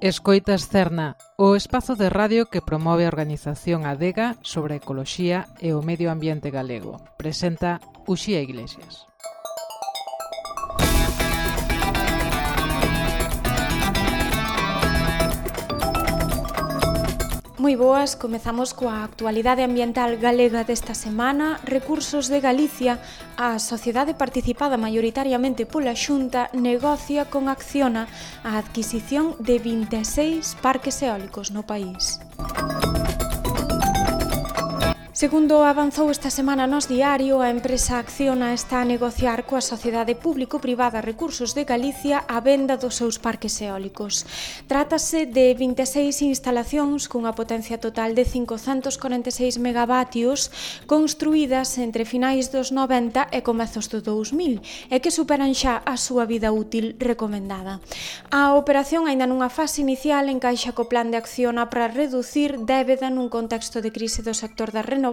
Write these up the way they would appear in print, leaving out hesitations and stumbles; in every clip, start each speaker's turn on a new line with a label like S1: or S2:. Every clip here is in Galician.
S1: Escoitas Cerna, o espazo de radio que promove a organización Adega sobre a ecoloxía e o medio ambiente galego. Presenta Uxía Iglesias.
S2: Moi boas, comezamos coa actualidade ambiental galega desta semana. Recursos de Galicia, a sociedade participada maioritariamente pola Xunta, negocia con Acciona a adquisición de 26 parques eólicos no país. Segundo avanzou esta semana Nós Diario, a empresa Acciona está a negociar coa Sociedade Público-Privada Recursos de Galicia a venda dos seus parques eólicos. Trátase de 26 instalacións cunha potencia total de 546 megavatios construídas entre finais dos 90 e comezos do 2000 e que superan xa a súa vida útil recomendada. A operación aínda nunha fase inicial encaixa co plan de Acciona para reducir débeda nun contexto de crise do sector das renovables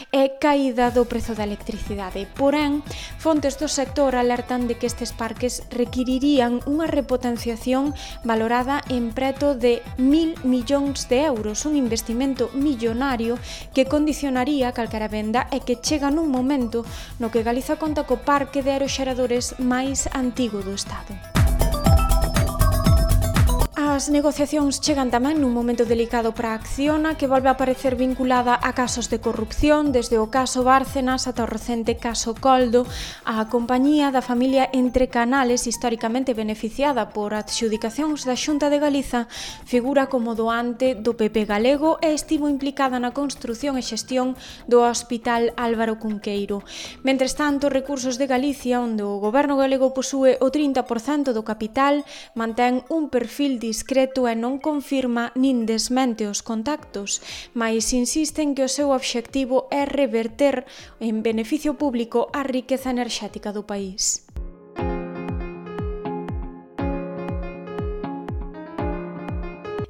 S2: e caída do prezo da electricidade. Porén, fontes do sector alertan de que estes parques requirirían unha repotenciación valorada en preto de 1.000 millóns de euros, un investimento millonario que condicionaría calquera venda e que chega nun momento no que Galiza conta co parque de aeroxeradores máis antigo do Estado. As negociacións chegan tamén nun momento delicado para a Acciona, que volve a aparecer vinculada a casos de corrupción, desde o caso Bárcenas ata o recente caso Coldo. A compañía da familia Entre Canales, históricamente beneficiada por adxudicacións da Xunta de Galiza, figura como doante do PP galego e estivo implicada na construción e xestión do Hospital Álvaro Cunqueiro. Mentres tanto, Recursos de Galicia, onde o goberno galego posúe o 30% do capital, mantén un perfil discreto e non confirma nin desmente os contactos, mais insisten que o seu obxectivo é reverter en beneficio público a riqueza enerxética do país.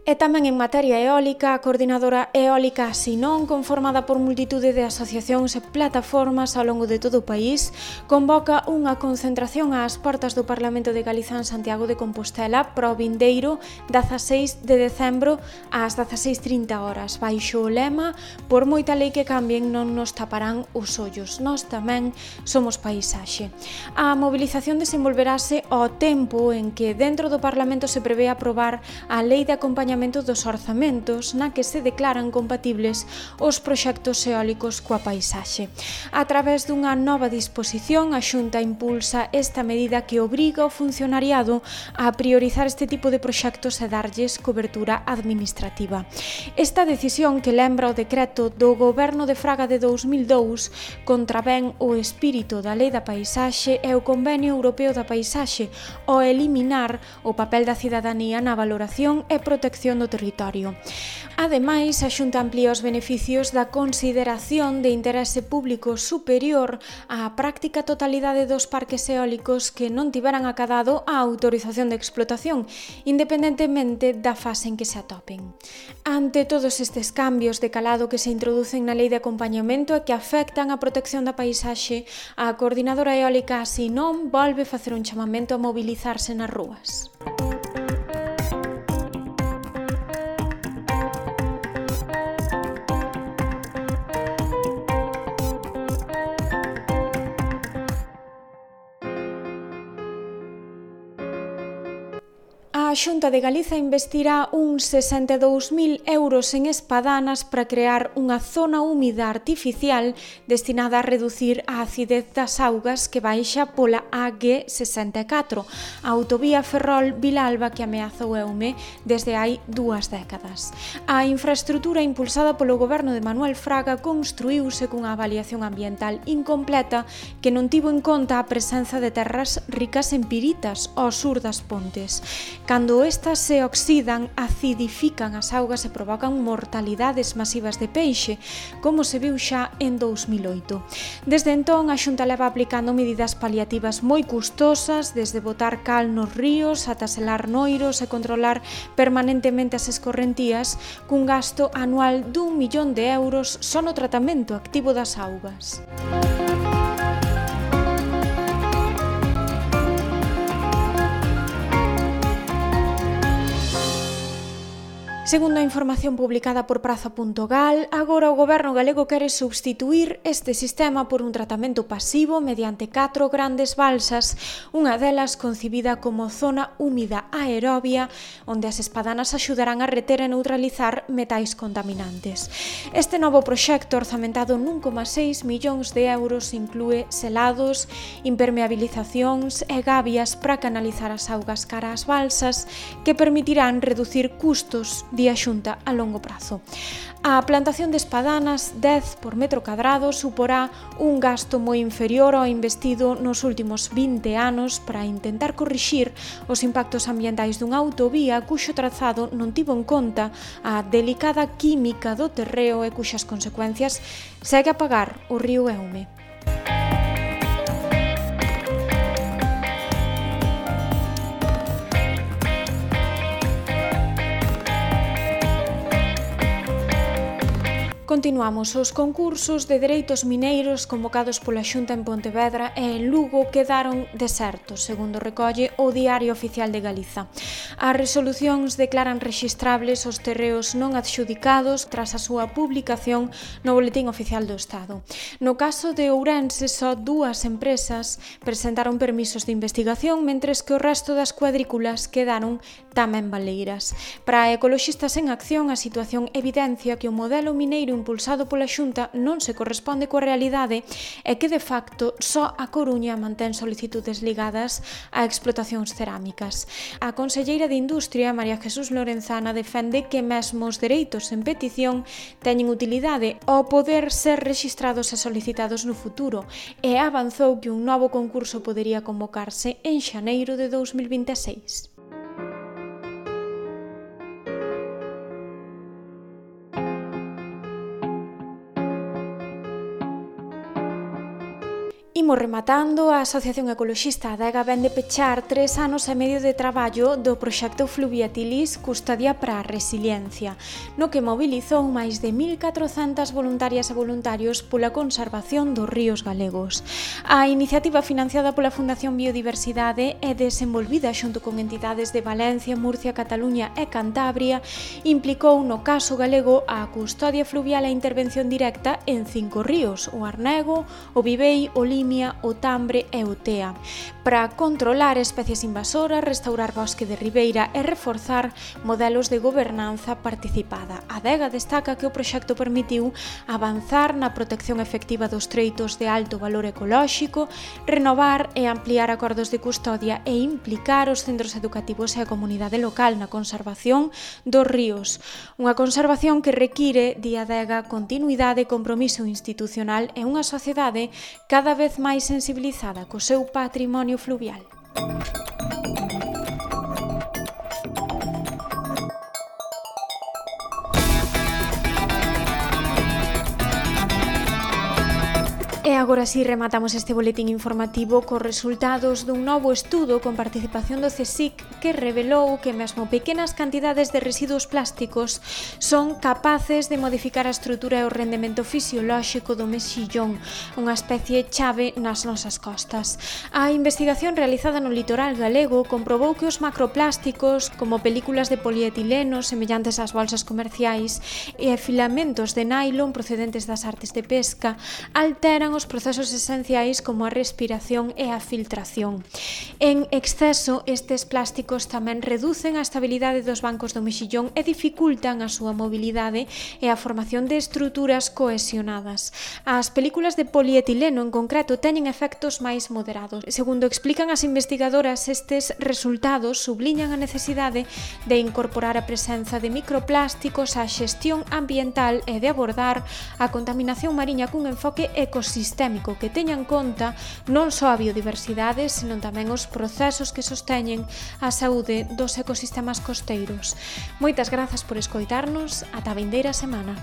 S2: E tamén en materia eólica, a Coordinadora Eólica Sinón, conformada por multitude de asociacións e plataformas ao longo de todo o país, convoca unha concentración ás portas do Parlamento de Galiza en Santiago de Compostela para o vindeiro 16 de decembro ás 16:30 horas, baixo o lema "Por moita lei que cambien non nos taparán os ollos, nós tamén somos paisaxe". A mobilización desenvolverase ao tempo en que dentro do Parlamento se prevé aprobar a Lei de Acompañamento dos orzamentos, na que se declaran compatibles os proxectos eólicos coa paisaxe. A través dunha nova disposición, a Xunta impulsa esta medida que obriga o funcionariado a priorizar este tipo de proxectos e darlles cobertura administrativa. Esta decisión, que lembra o decreto do Goberno de Fraga de 2002, contravén o espírito da Lei da Paisaxe e o Convenio Europeo da Paisaxe ao eliminar o papel da cidadanía na valoración e protección do territorio. Ademais, a Xunta amplía os beneficios da consideración de interese público superior á práctica totalidade dos parques eólicos que non tiveran acadado a autorización de explotación, independentemente da fase en que se atopen. Ante todos estes cambios de calado que se introducen na Lei de Acompañamento e que afectan a protección da paisaxe, a Coordinadora Eólica Sinón volve facer un chamamento a mobilizarse nas rúas. A Xunta de Galiza investirá uns 62.000 euros en espadanas para crear unha zona húmida artificial destinada a reducir a acidez das augas que baixa pola AG64, a autovía Ferrol-Vilalba que ameaza o Eume desde hai 2 décadas. A infraestrutura impulsada polo goberno de Manuel Fraga construíuse cunha avaliación ambiental incompleta que non tivo en conta a presenza de terras ricas en piritas ao sur das Pontes. Cando estas se oxidan, acidifican as augas e provocan mortalidades masivas de peixe, como se viu xa en 2008. Desde entón, a Xunta leva aplicando medidas paliativas moi custosas, desde botar cal nos ríos ata selar noiros e controlar permanentemente as escorrentías, cun gasto anual d'1 millón de euros só no tratamento activo das augas. Segundo a información publicada por Praza.gal, agora o goberno galego quere substituir este sistema por un tratamento pasivo mediante 4 grandes balsas, unha delas concibida como zona húmida aerobia, onde as espadanas axudarán a reter e neutralizar metais contaminantes. Este novo proxecto, orzamentado 1,6 millóns de euros, inclúe selados, impermeabilizacións e gabias para canalizar as augas cara ás balsas, que permitirán reducir custos di a Xunta a longo prazo. A plantación de espadanas 10 por metro cadrado suporá un gasto moi inferior ao investido nos últimos 20 anos para intentar corrixir os impactos ambientais dunha autovía cuxo trazado non tivo en conta a delicada química do terreo e cuxas consecuencias segue a pagar o río Eume. Continuamos. Os concursos de dereitos mineiros convocados pola Xunta en Pontevedra e en Lugo quedaron desertos, segundo recolle o Diario Oficial de Galiza. As resolucións declaran rexistrables os terreos non adxudicados tras a súa publicación no Boletín Oficial do Estado. No caso de Ourense, só 2 empresas presentaron permisos de investigación, mentres que o resto das cuadrículas quedaron tamén baleiras. Para Ecoloxistas en Acción, a situación evidencia que o modelo mineiro impulsado pola Xunta non se corresponde coa realidade e que, de facto, só a Coruña mantén solicitudes ligadas a explotacións cerámicas. A conselleira de Industria, María Jesús Lorenzana, defende que mesmo os dereitos en petición teñen utilidade ao poder ser rexistrados e solicitados no futuro e avanzou que un novo concurso podería convocarse en xaneiro de 2026. Imos rematando. A Asociación Ecoloxista Adega vende pechar 3 anos e medio de traballo do proxecto Fluviatilis Custodia para a Resiliencia, no que mobilizou máis de 1.400 voluntarias e voluntarios pola conservación dos ríos galegos. A iniciativa, financiada pola Fundación Biodiversidade e desenvolvida xunto con entidades de Valencia, Murcia, Cataluña e Cantabria, implicou no caso galego a custodia fluvial e a intervención directa en 5 ríos: o Arnego, o Vivei, o Limia, o Tambre e o Tea, para controlar especies invasoras, restaurar bosque de ribeira e reforzar modelos de gobernanza participada. A Adega destaca que o proxecto permitiu avanzar na protección efectiva dos treitos de alto valor ecolóxico, renovar e ampliar acordos de custodia e implicar os centros educativos e a comunidade local na conservación dos ríos. Unha conservación que require, di Adega, continuidade, compromiso institucional e unha sociedade cada vez máis sensibilizada co seu patrimonio fluvial. E agora si rematamos este boletín informativo cos resultados dun novo estudo con participación do CSIC que revelou que mesmo pequenas cantidades de residuos plásticos son capaces de modificar a estrutura e o rendemento fisiolóxico do mexillón, unha especie chave nas nosas costas. A investigación realizada no litoral galego comprobou que os macroplásticos, como películas de polietileno semellantes ás bolsas comerciais e filamentos de nylon procedentes das artes de pesca, alteran os procesos esenciais como a respiración e a filtración. En exceso, estes plásticos tamén reducen a estabilidade dos bancos do mexillón e dificultan a súa mobilidade e a formación de estruturas cohesionadas. As películas de polietileno en concreto teñen efectos máis moderados. Segundo explican as investigadoras, estes resultados subliñan a necesidade de incorporar a presenza de microplásticos á xestión ambiental e de abordar a contaminación mariña cun enfoque ecosistémico que teña en conta non só a biodiversidade, senón tamén os procesos que sosteñen a saúde dos ecosistemas costeiros. Moitas grazas por escoitarnos. Ata a vindeira semana.